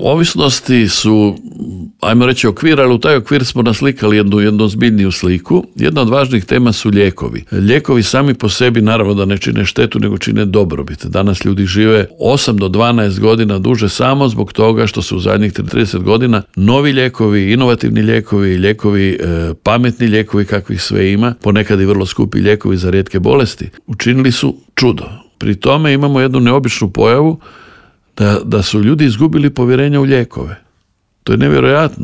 Ovisnosti su, ajmo reći, okvir, ali u taj okvir smo naslikali jednu zbiljniju sliku. Jedna od važnih tema su lijekovi. Lijekovi sami po sebi naravno da ne čine štetu, nego čine dobrobit. Danas ljudi žive 8 do 12 godina duže samo zbog toga što su u zadnjih 30 godina novi lijekovi, inovativni lijekovi, pametni lijekovi kakvih sve ima, ponekad i vrlo skupi lijekovi za rijetke bolesti, učinili su čudo. Pri tome imamo jednu neobičnu pojavu da su ljudi izgubili povjerenje u lijekove. To je nevjerojatno.